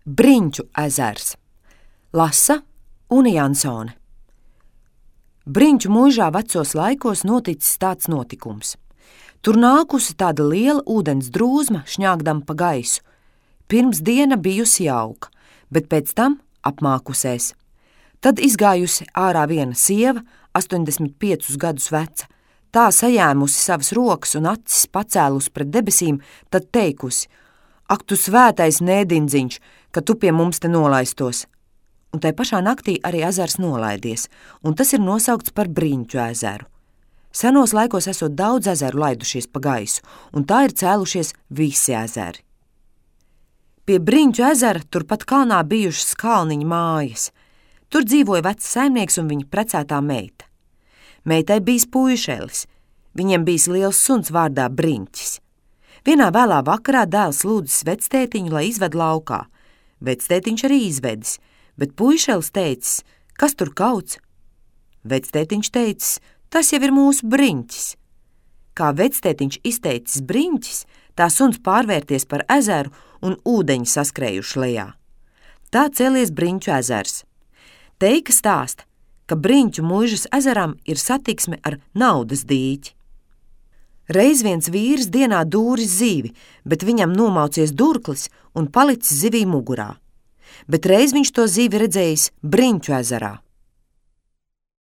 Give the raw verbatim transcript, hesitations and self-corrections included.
Briņķu ezers. Lasa Une Jansone. Briņķu muižā vecos laikos noticis tāds notikums. Tur nākusi tāda liela ūdens drūzma šņāgdam pa gaisu. Pirms diena bijusi jauka, bet pēc tam apmākusēs. Tad izgājusi ārā viena sieva, astoņdesmit piecus gadus veca, tā sajēmusi savas rokas un acis pacēlus pret debesīm, tad teikusi: Ak, tu svētais nēdindziņš, ka tu pie mums te nolaistos. Un tai pašā naktī arī ezers nolaidies, un tas ir nosaukts par Briņķu ezeru. Senos laikos esot daudz ezeru laidušies pa gaisu, un tā ir cēlušies visi ezeri. Pie Briņķu ezera turpat kalnā bijušas kalniņa mājas. Tur dzīvoja vecs saimnieks un viņa precētā meita. Meitai bijis puišelis, viņiem bijis liels suns vārdā Briņķis. Vienā vēlā vakarā dēls lūdzis vectētiņu, lai izved laukā. Vectētiņš arī izvedis, bet puišelis teicis: Kas tur kauts? Vectētiņš teicis: Tas jau ir mūsu Briņķis. Kā vectētiņš izteicis Briņķis, tā suns pārvērties par ezeru un ūdeņi saskrējuši lejā. Tā cēlies Briņķu ezers. Teika stāsta, ka Briņķu muižas ezeram ir satiksme ar naudas dīķi. Reiz viens vīrs dienā dūris zivi, bet viņam nomaucies durklis un palicis zivī mugurā. Bet reiz viņš to zivi redzējis Briņķu ezerā.